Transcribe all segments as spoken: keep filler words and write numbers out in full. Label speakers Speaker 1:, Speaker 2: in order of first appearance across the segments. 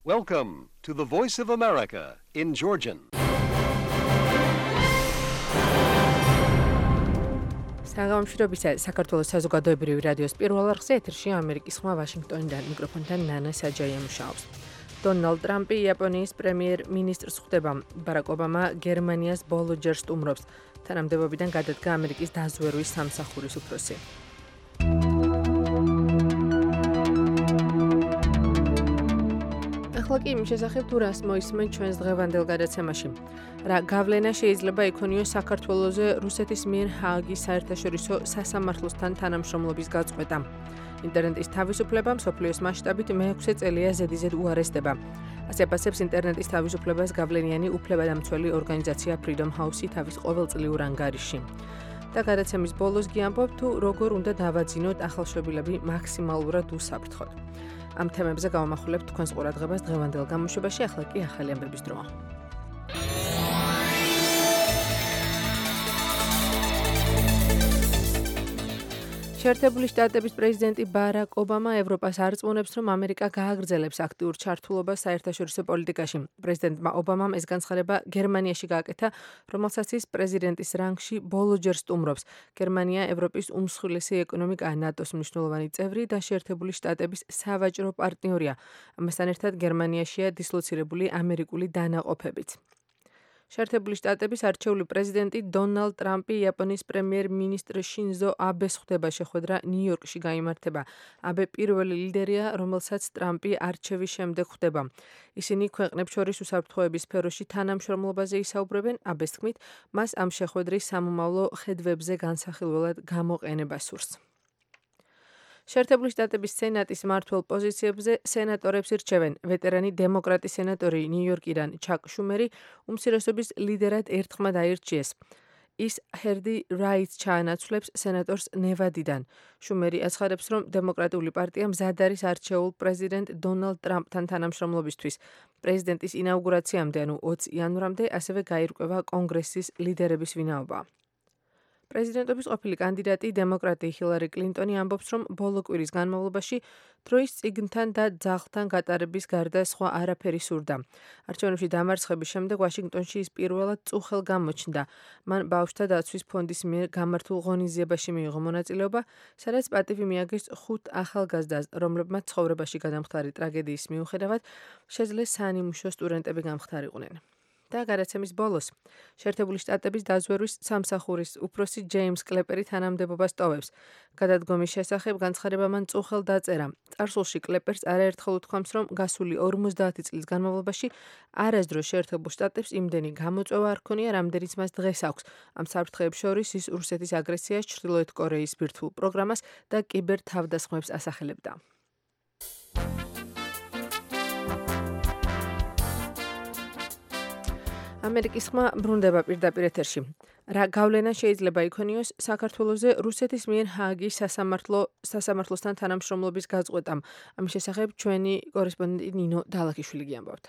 Speaker 1: Welcome to the Voice of America in Georgian.
Speaker 2: საღამოშრობისა საქართველოს საზოგადოებრივი რადიოს პირველ არხზე ეთერში ამერიკის ხმა ვაშინგტონიდან მიკროფონთან ნანა საჯაია მუშაობს. დონალდ ტრამპი იაპონიის პრემიერ-მინისტრს ხვდება. ბარაკ ობამა გერმანიას ბოლო ჯერ სტუმრობს. თანამდებობიდან გადადგა ამერიკის დაზვერვის სამსახურის უფროსი. ახლა კი იმის შესახებ თუ რას მოისმენ ჩვენს დღევანდელ გადაცემაში. რა გავლენა შეიძლება იქონიოს საქართველოზე რუსეთის მიერ ჰააგის საერთაშორისო სასამართლოსთან თანამშრომლობის გაწყვეტა. ინტერნეტის თავისუფლება მსოფლიოს მასშტაბით მეექვსე წელია ზედიზედ უარესდება. ასე აფასებს ინტერნეტის თავისუფლებას გავლენიანი უფლებადამცველი ორგანიზაცია Freedom House-ი თავის ყოველწლიურ ანგარიშში. და გადაცემის ბოლოს გიამბობ თუ როგორ უნდა დავაძინოთ ახალშობილები მაქსიმალურად უსაფრთხოდ. ამ თემებზე გავამახვილებთ თქვენს ყურადღებას დღევანდელ გამოშვებაში, ახლა კი ახალი ამბების დროა. შეერთებული შტატების პრეზიდენტი ბარაკ ობამა ევროპას არწმუნებს, რომ ამერიკა გააგრძელებს აქტიურ ჩართულობას საერთაშორისო პოლიტიკაში. პრეზიდენტმა ობამამ ეს განცხადება გერმანიაში გააკეთა, რომელსაც ის პრეზიდენტის რანგში ბოლოჯერ სტუმრობს. გერმანია ევროპის უმსხვილესი ეკონომიკაა, ნატოს მნიშვნელოვანი წევრი და შეერთებული შტატების სავაჭრო პარტნიორია. ამასთან ერთად გერმანიაშია დისლოცირებული ამერიკული დანაყოფებიც. შეერთებული შტატების არჩეული პრეზიდენტი დონალდ ტრამპი იაპონიის პრემიერ-მინისტრ შინზო აბეს ხვდება. შეხვედრა ნიუ-იორკში გაიმართება. აბე პირველი ლიდერია, რომელსაც ტრამპი არჩევის შემდეგ ხვდება. ისინი ქვეყნებს შორის უსაფრთხოების სფეროში თანამშრომლობაზე ისაუბრებენ. აბეს თქმით, მას ამ შეხვედრის სამომავლო ხედვებზე განსახილველად გამოყენება სურს. შეერთებული შტატების სენატის მმართველ პოზიციებზე სენატორებს ირჩევენ. ვეტერანი დემოკრატი სენატორი ნიუ-იორკიდან ჩაკ შუმერი უმცირესობის ლიდერად ერთხმად აირჩიეს. ის ჰერდი რაიტს ჩაანაცვლებს სენატორს ნევადიდან. შუმერი აცხადებს, რომ დემოკრატიული პარტია მზად არის არჩეულ პრეზიდენტ დონალდ ტრამპთან თანამშრომლობისთვის. პრეზიდენტის ინაუგურაციამდე, ანუ ოცი იანვრამდე, ასევე გაირკვევა კონგრესის ლიდერების ვინაობა. პრეზიდენტობის ყოფილი კანდიდატი დემოკრატი ჰილარი კლინტონი ამბობს, რომ ბოლო კვირის განმავლობაში დროის წიგნთან და ძაღლთან გატარების გარდა სხვა არაფერი სურდა. არჩევნებში დამარცხების შემდეგ ვაშინგტონში ის პირველად წუხელ გამოჩნდა. მან ბავშვთა დაცვის ფონდის მიერ გამართულ ღონისძიებაში მიიღო მონაწილეობა, სადაც პატივი მიაგეს ხუთ ახალგაზრდას, რომლებმაც ცხოვრებაში გადამხდარი ტრაგედიის მიუხედავად შეძლეს საანიმუშო სტუდენტები გამხდარიყვნენ. და გადაცემის ბოლოს შეერთებული შტატების დაზვერვის სამსახურის უფროსი ჯეიმს კლეპერი თანამდებობას ტოვებს. გადადგომის შესახებ განცხადება მან წუხელ დაწერა. წარსულში კლეპერს არაერთხელ უთქვამს, რომ გასული ორმოცდაათი წლის განმავლობაში არასდროს შეერთებულ შტატებს იმდენი გამოწვევა არ ქონია, რამდენიც მას დღეს აქვს. ამ საფრთხეებს შორის ის რუსეთის აგრესიას, ჩრდილოეთ კორეის ბირთვულ პროგრამას და კიბერ თავდასხმებს ასახელებდა. ამერიკის ხმა ბრუნდება პირდაპირ ეთერში. რა გავლენა შეიძლება იქონიოს საქართველოზე რუსეთის მიერ ჰააგის სასამართლო სასამართლოსთან თანამშრომლობის გაწყვეტამ. ამის შესახებ ჩვენი კორესპონდენტი ნინო დალაქიშვილი გიამბობთ.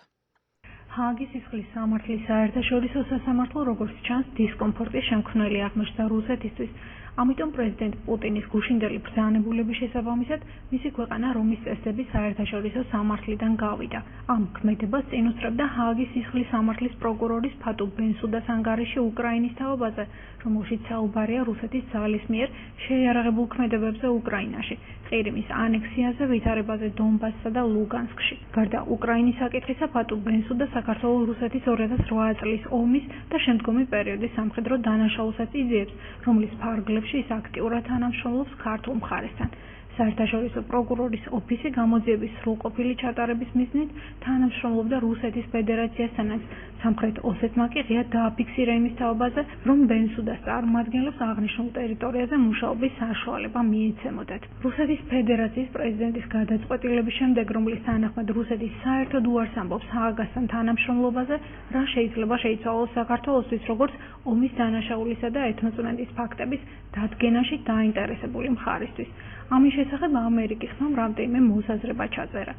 Speaker 3: ჰააგის სისხლის სამართლის საერთაშორისო სასამართლო, როგორც ჩანს, დისკომფორტის შემქმნელი აღმოჩნდა რუსეთისთვის. ამიტომ პრეზიდენტ პუტინის გუშინდელი ბრძანებულების შესაბამისად მისი ქვეყანა რომის წესდების საერთაშორისო სამართლიდან გავიდა. ამ ქმედებას წინ უსწრებდა ჰააგის სისხლის სამართლის პროკურორის ფატუ ბენსუდას ანგარიში უკრაინის თაობაზე, რომელშიც საუბარია რუსეთის ძალის მიერ შეიარაღებულ ქმედებებზე უკრაინაში, ყირიმის ანექსიაზე, ვითარებაზე დონბასსა და ლუგანსკში. გარდა უკრაინის საკითხისა, ფატუ ბენსუდა საქართველო-რუსეთის ორი ათას რვა წლის ომის და შემდგომი პერიოდის სამხედრო დანაშაულსაც იძიებს, რომლის ფარგლებში ის აქტიურად თანამშრომლობს ქართულ მხარესთან. საერთაშორისო პროკურორის ოფისი გამოძიების სრულყოფილი ჩატარების მიზნით თანამშრომლობდა რუსეთის ფედერაციასთანაც. სამხრეთ ოსეთმა კი ღია დააფიქსირა იმის თაობაზე, რომ ბენსუდას წარმოადგენლებს აღნიშნულ ტერიტორიაზე მუშაობის საშუალება მიეცემოდათ. რუსეთის ფედერაციის პრეზიდენტის გადაწყვეტილების შემდეგ, რომლის თანახმად რუსეთი საერთოდ უარს ამბობს ჰააგასთან თანამშრომლობაზე, რა შეიძლება შეიცვალოს საქართველოსთვის, როგორც ომის დანაშაულისა და ეთნოწმენდის ფაქტების დადგენაში დაინტერესებული მხარისთვის. ამის შესახებ ამერიკის ხმამ რამდენიმე მოსაზრება ჩაწერა.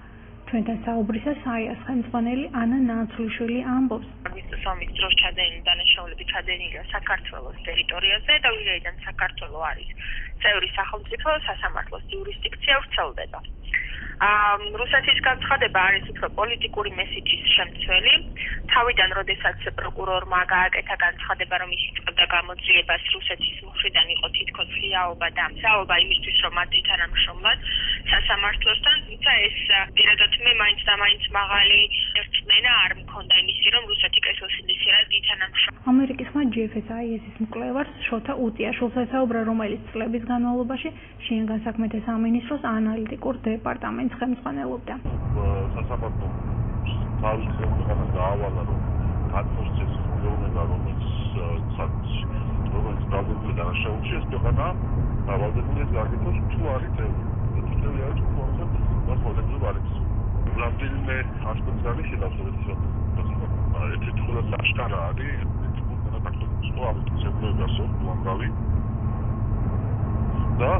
Speaker 3: ჩვენთან საუბრისას საიას ხელმძღვანელი ანა ნაცვლიშვილი ამბობს,
Speaker 4: აგვისტოს ომის დროს ჩადენილი დანაშაულები ჩადენილია საქართველოს ტერიტორიაზე და ვინაიდან საქართველო არის წევრი სახელმწიფო, სასამართლოს იურისდიქცია ვრცელდება. რუსეთის განცხადება არის უფრო პოლიტიკური მესიჯის შემცველი. თავიდან, როდესაც პროკურორმა გააკეთა განცხადება, რომ ის იწყებდა გამოძიებას რუსეთის მხრიდან იყო თითქოს ღიაობა და მზაობა იმისთვის, რომ მათი თანამშრომლად სასამართლოსთან, თუმცა ეს პირადად მე მაინც და მაინც მაღალი ერთმენა არ მქონდა იმისი, რომ რუსეთი კეთილსინდისიერად ითანამშრომლა.
Speaker 3: ამერიკის ხმა ჯი ეფ ეს აი ეს-ის მკვლევარს შოთა უტიაშვილს ესაუბრა, რომელიც წლების განმავლობაში შინაგან საქმეთა სამინისტროს ანალიტიკურ დეპარტამენტს ხელმძღვანელობდა.
Speaker 5: სასამართლო თავის ხელმძღვანელს დაავალა, რომ გაწმოს მეუბნება, რომელიც რომელიც დადებითი დანაშაულში ეს ქვეყანა დავალებულია გაგეთოს თუ არის წევრი. თუ არის თუ არის მას მოდებული არის. რამდენიმე ასპექტს არის შედარებით ეს თულა საშკარა არის და ტაქტიკურ ამიტომებასო ლანგავი და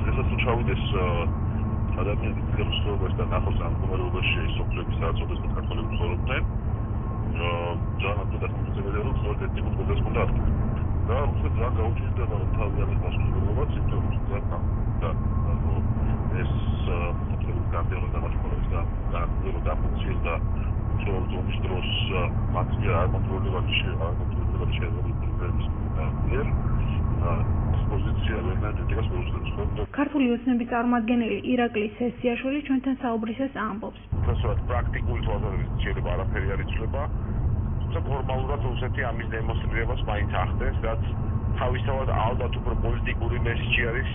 Speaker 5: დღესაც ჩავიდეს ადამიანის ძირშობას და ნახოს ამ მდგომარეობაში სოფლების საერთოდ საქართველოს ცხოვრობდნენ ძალიან დასწრებული რომ სწორედ ეს ტიპის პროცესი უნდა არის და უბრალოდ ძალიან გაუჩნდება რომ თავიანთი მასშტაბურობა ციფრული და და ეს აბსოლუტურად გამდერო და მასშტაბურობის და და ფუნქციის და ზონის დროს მათი არ კონტროლირებადი შეაძლებელი შეაძლებელი და პოზიცია ენერგეტიკას მოსდევს.
Speaker 3: ქართული ოცნების წარმომადგენელი ირაკლი სესიაშვილი ჩვენთან საუბრისას ამბობს.
Speaker 5: უბრალოდ პრაქტიკული თვალსაზრისით შეიძლება არაფერი არ იცვლება. თუმცა ფორმალურად რუსეთი ამის დემონსტრირებას მაინც ახდენს, რაც თავისთავად ალბათ უფრო პოლიტიკური მესიჯი არის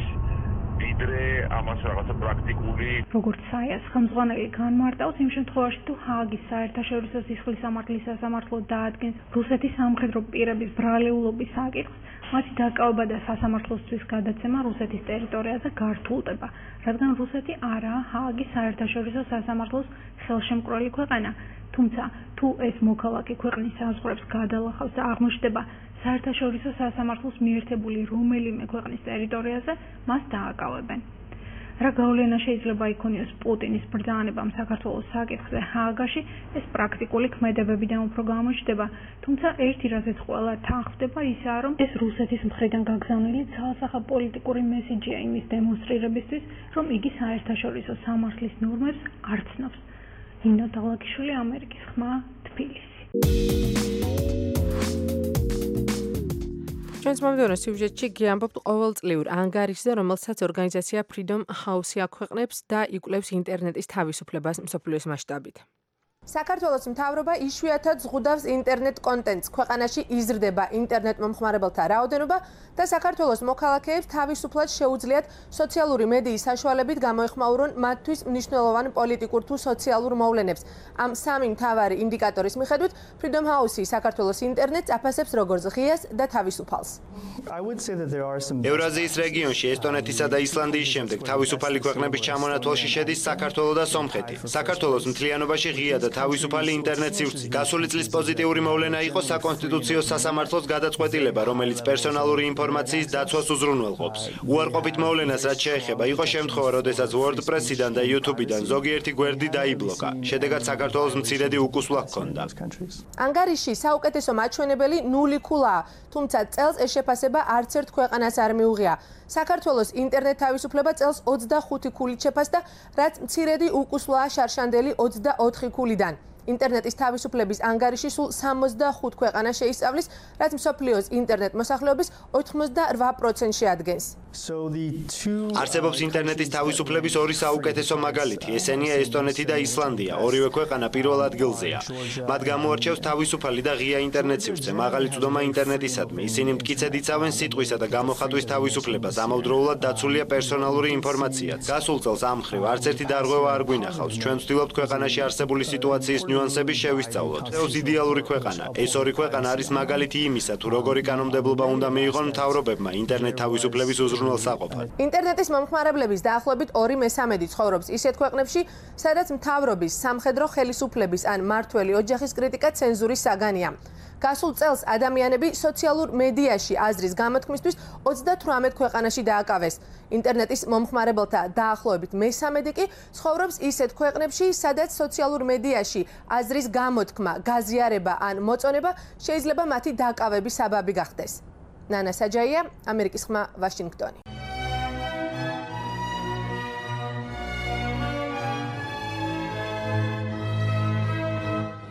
Speaker 5: ვიდრე ამას რაღაცა პრაქტიკული.
Speaker 3: როგორც საიას ხელმძღვანელი განმარტავს, იმ შემთხვევაში თუ ჰააგის საერთაშორისო სისხლის სამართლის სასამართლო დაადგენს რუსეთის სამხედრო პირების ბრალეულობის საკითხს, მათი დაკავება და სასამართლოსთვის გადაცემა რუსეთის ტერიტორიაზე გართულდება, რადგან რუსეთი არაა ჰააგის საერთაშორისო სასამართლოს ხელშემკვრელი ქვეყანა. თუმცა თუ ეს მოქალაქე ქვეყნის საზღვრებს გადალახავს და აღმოჩნდება საერთაშორისო სასამართლოს მიერთებული რომელიმე ქვეყნის ტერიტორიაზე, მას დააკავებენ. რა გავლენა შეიძლება იქონიოს პუტინის ბრძანებამ საქართველოს საკითხზე ჰააგაში, ეს პრაქტიკული ქმედებებიდან უფრო გამოჩნდება, თუმცა ერთი რაზეც ყველა თანხმდება ისაა, რომ ეს რუსეთის მხრიდან გაგზავნილი ძალსახა პოლიტიკური მესიჯია იმის დემონსტრირებისთვის, რომ იგი საერთაშორისო სამართლის ნორმებს არ ცნობს. ინნა დაღლაკიშვილი, ამერიკის ხმა, თბილისი.
Speaker 2: ჩვენს მომდევნო სიუჟეტში გიამბობთ ყოველწლიურ ანგარიშზე, რომელსაც ორგანიზაცია Freedom House აქვეყნებს და იკვლევს ინტერნეტის თავისუფლებას მსოფლიოს მასშტაბით. საქართველოს მთავრობა იშვიათად ზღუდავს ინტერნეტ კონტენტს. ქვეყანაში იზრდება ინტერნეტ მომხმარებელთა რაოდენობა და საქართველოს მოქალაქეებს თავისუფლად შეუძლიათ სოციალური მედიის საშუალებით გამოეხმაურონ მათთვის მნიშვნელოვან პოლიტიკურ თუ სოციალურ მოვლენებს. ამ სამი მთავარი ინდიკატორის მიხედვით Freedom House საქართველოს ინტერნეტს აფასებს როგორც ღიას და თავისუფალს.
Speaker 6: ევრაზიის რეგიონში ესტონეთისა და ისლანდიის შემდეგ თავისუფალი ქვეყნების ჩამონათვალში შედის საქართველო და სომხეთი. საქართველოს მთლიანობაში ღია და თავისუფალი ინტერნეტ სივრცე. გასული წლის პოზიტიური მოვლენა იყო საკონსტიტუციო სასამართლოს გადაწყვეტილება, რომელიც პერსონალური ინფორმაციის დაცვას უზრუნველყოფს. უარყოფით მოვლენას, რაც შეეხება, იყო შემთხვევა, როდესაც WordPress-იდან და YouTube-იდან ზოგიერთი გვერდი დაიბლოკა. შედეგად საქართველოს მცირედი უკუსვლა ჰქონდა.
Speaker 2: ანგარიში საუკეთესო მაჩვენებელი ნული ქულაა, თუმცა წელს ეს შეფასება არც ერთ ქვეყანას არ მიუღია. საქართველოს ინტერნეტ თავისუფლება წელს ოცდახუთი ქულით შეფასდა, რაც მცირედი უკუსვლაა შარშანდელი ოცდაოთხი ქულიდან. ინტერნეტის თავისუფლების ანგარიში სულ სამოცდახუთ ქვეყანას შეისწავლის, რაც მსოფლიოს ინტერნეტ მოსახლეობის ოთხმოცდარვა პროცენტს შეადგენს.
Speaker 6: არსებობს ინტერნეტის თავისუფლების ორი საუკეთესო მაგალითი, ესენია ესტონეთი და ისლანდია. ორივე ქვეყანა პირველ ადგილზეა. მათ გამოარჩევს თავისუფალი და ღია ინტერნეტ სივრცე, მაღალი წვდომა ინტერნეტისადმი. ისინი მტკიცედ იცავენ სიტყვისა და გამოხატვის თავისუფლებას, ამავდროულად დაცულია პერსონალური ინფორმაციაც. გასულ წელს ამ მხრივ არც ერთი დარღვევა არ გვინახავს. ჩვენ ვცდილობთ ქვეყანაში არსებული სიტუაციის ნიუანსები შევისწავლოთ. ეს იდეალური ქვეყანა. ეს ორი ქვეყანა არის მაგალითი იმისა, თუ როგორი კანონმდებლობა უნდა მიიღონ მთავრობებმა ინტერნეტ თავისუფლების უზრუნველსაყოფად.
Speaker 2: ინტერნეტის მომხმარებლების დაახლოებით ორი მესამედი ცხოვრობს ისეთ ქვეყნებში, სადაც მთავრობის, სამხედრო ხელისუფლების ან მმართველი ოჯახის კრიტიკა ცენზურის საგანია. გასულ წელს ადამიანები სოციალურ მედიაში აზრის გამოთქმისთვის ოცდათვრამეტ ქვეყანაში დააკავეს. ინტერნეტის მომხმარებელთა დაახლოებით მესამედი კი ცხოვრობს ისეთ ქვეყნებში, სადაც სოციალურ მედიაში აზრის გამოთქმა, გაზიარება ან მოწონება შეიძლება მათი დაკავების საბაბი გახდეს. ნანა საჯაია, ამერიკის ხმა, ვაშინგტონი.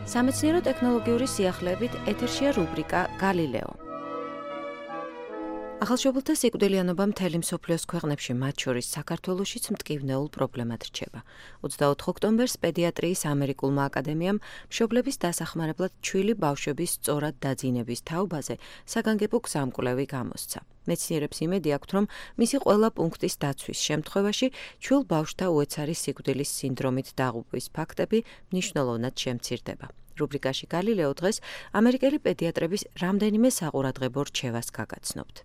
Speaker 7: სამეცნიერო ტექნოლოგიური სიახლეებით ეთერშია რუბრიკა გალილეო. ახალშობილთა სიკვდილიანობა მთელი მსოფლიოს ქვეყნებში, მათ შორის საქართველოშიც მტკივნეულ პრობლემად რჩება. ოცდაოთხ ოქტომბერს პედიატრიის ამერიკულმა აკადემიამ მშობლების დასახმარებლად ჩვილი ბავშვების სწორად დაძინების თაობაზე საგანგებო გზამკვლევი გამოსცა. მეცნიერებს იმედი აქვთ, რომ მისი ყველა პუნქტის დაცვის შემთხვევაში ჩვილ ბავშვთა უეცარი სიკვდილის სინდრომით დაღუპვის ფაქტები მნიშვნელოვნად შემცირდება. რუბრიკაში გალილეო დღეს ამერიკელი პედიატრების რამდენიმე საყურადღებო რჩევას გაგაცნობთ.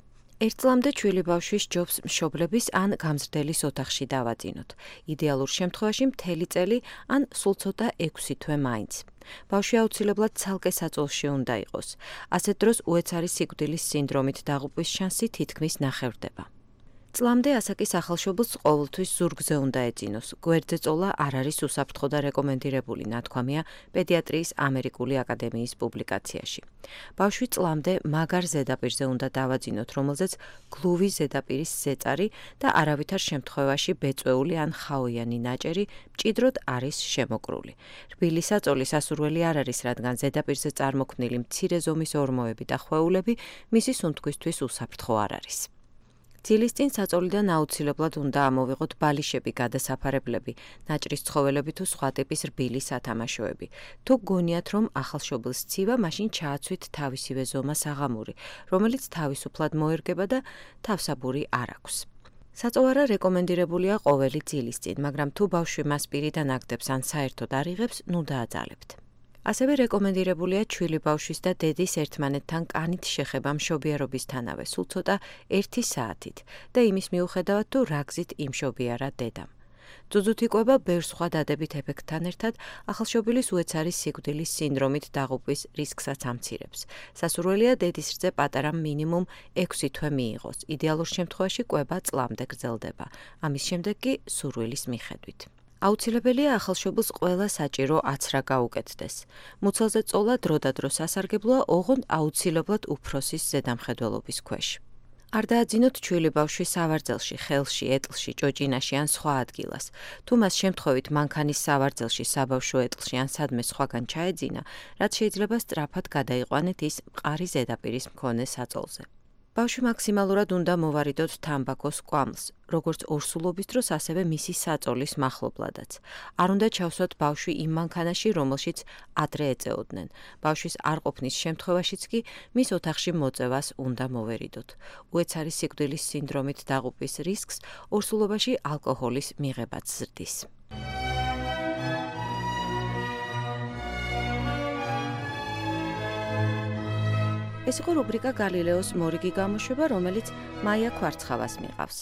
Speaker 7: ერთ წლამდე ჩვილი ბავშვის ჯობს მშობლების ან გამზრდელის ოთახში დავაძინოთ. იდეალურ შემთხვევაში მთელი წელი ან სულ ცოტა ექვსი თვე მაინც. ბავშვი აუცილებლად ცალკე საწოლში უნდა იყოს. ასეთ დროს უეცარი სიკვდილის სინდრომით დაღუპვის შანსი თითქმის ნახევრდება. წლამდე ასაკის ახალშობილს ყოველთვის ზურგზე უნდა ეძინოს. გვერდზე წოლა არ არის უსაფრთხო და რეკომენდირებული, ნათქვამია პედიატრიის ამერიკული აკადემიის პუბლიკაციაში. ბავშვი წლამდე მაგარ ზედაპირზე უნდა დავაძინოთ, რომელზეც გლუვი ზედაპირის ზეწარი და არავითარ შემთხვევაში ბეწვეული ან ხაოიანი ნაჭერი მჭიდროდ არის შემოკრული. რბილი საწოლი სასურველი არ არის, რადგან ზედაპირზე წარმოქმნილი მცირე ზომის ორმოები და ხვეულები მისი სუნთქვისთვის უსაფრთხო არ არის. ძილის წინ საწოლიდან აუცილებლად უნდა ამოვიღოთ ბალიშები, გადასაფარებლები, ნაჭრის ცხოველები თუ სხვა ტიპის რბილი სათამაშოები. თუ გონიათ, რომ ახალშობილს ცივა, მაშინ ჩააცვით თავისივე ზომას აღამური, რომელიც თავისუფლად მოერგება და თავსაბური არ აქვს. საწოვარა რეკომენდირებულია ყოველი ძილის წინ, მაგრამ თუ ბავშვი მას პირიდან აგდებს ან საერთოდ არ იღებს, ნუ დააძალებთ. ასევე რეკომენდირებულია ჩვილი ბავშვის და დედის ერთმანეთთან კანით შეხება მშობიარობისთანავე, სულ ცოტა ერთი საათით და იმის მიუხედავად, თუ რა გზით იმშობიარა დედამ. ძუძუთ იკვება ბევრ სხვა დადებით ეფექტთან ერთად, ახალშობილის უეცარი სიკვდილის სინდრომით დაღუპვის რისკსაც ამცირებს. სასურველია დედის რძე პატარა მინიმუმ ექვსი თვე მიიღოს. იდეალურ შემთხვევაში კვება წლამდე გრძელდება. ამის შემდეგ კი სურვილის მიხედვით. აუცილებელია ახალშობილს ყველა საჭირო აცრა გაუკეთდეს. მუცელზე წოლა დროდადრო სასარგებლოა, ოღონდ აუცილებლად უფროსის ზედამხედველობის ქვეშ. არ დააძინოთ ჩვილი ბავშვი სავარძელში, ხელში, ეტლში, ჭოჭინაში ან სხვა ადგილას. თუ მას შემთხვევით მანქანის სავარძელში, საბავშვო ეტლში ან სადმე სხვაგან ჩაეძინა, რაც შეიძლება სწრაფად გადაიყვანეთ ის მყარი ზედაპირის მქონე საწოლზე. ბავშვი მაქსიმალურად უნდა მოვარიდოთ თამბაქოს კვამლს, როგორც ორსულობის დროს, ასევე მისი საწოლის მახლობლადაც. არ უნდა ჩავსვათ ბავშვი იმ მანქანაში, რომელშიც ადრე ეწეოდნენ. ბავშვის არ ყოფნის შემთხვევაშიც კი მის ოთახში მოწევას უნდა მოვერიდოთ. უეცარი სიკვდილის სინდრომით დაღუპვის რისკს ორსულობაში ალკოჰოლის მიღებაც ზრდის. ეს იყო რუბრიკა გალილეოს მორიგი გამოშვება, რომელიც მაია ქვარცხავას მიყავს.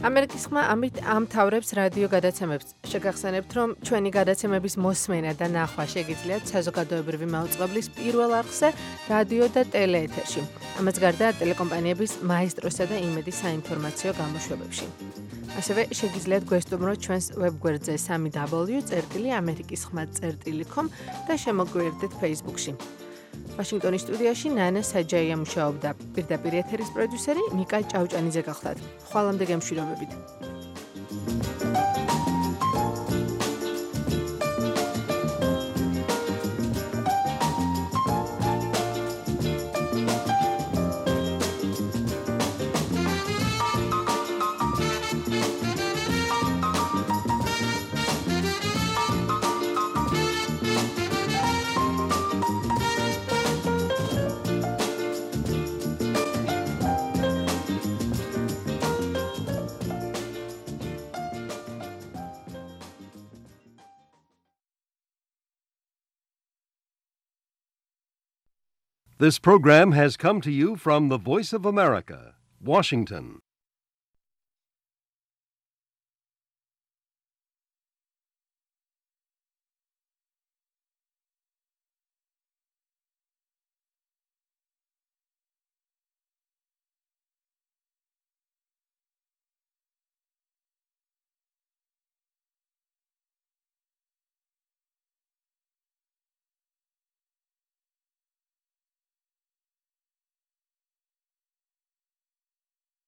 Speaker 2: ამერიკის ხმა ამით ამთავრებს რადიო გადაცემებს. შეგახსენებთ, რომ ჩვენი გადაცემების მოსმენა და ნახვა შეგიძლიათ საზოგადოებრივი მაუწყებლის პირველ არხზე, რადიო და ტელეეთერში. ამას გარდა ტელეკომპანიების მაესტროსა და იმედის საინფორმაციო გამოშვებებში. ასევე შეგიძლიათ გვესტუმროთ ჩვენს ვებგვერდზე სამი დაბლიუ წერტილი ამერიკის ხმა წერტილი com და შემოგვიერთდეთ Facebook-ში. ვაშინგტონის სტუდიაში ნანა საჯაია მუშაობდა. პირდაპირ ეთერის პროდიუსერი ნიკა ჭავჭანიძე გახლდათ. ხვალამდე გემშვიდობებით.
Speaker 1: This program has come to you from the Voice of America, Washington.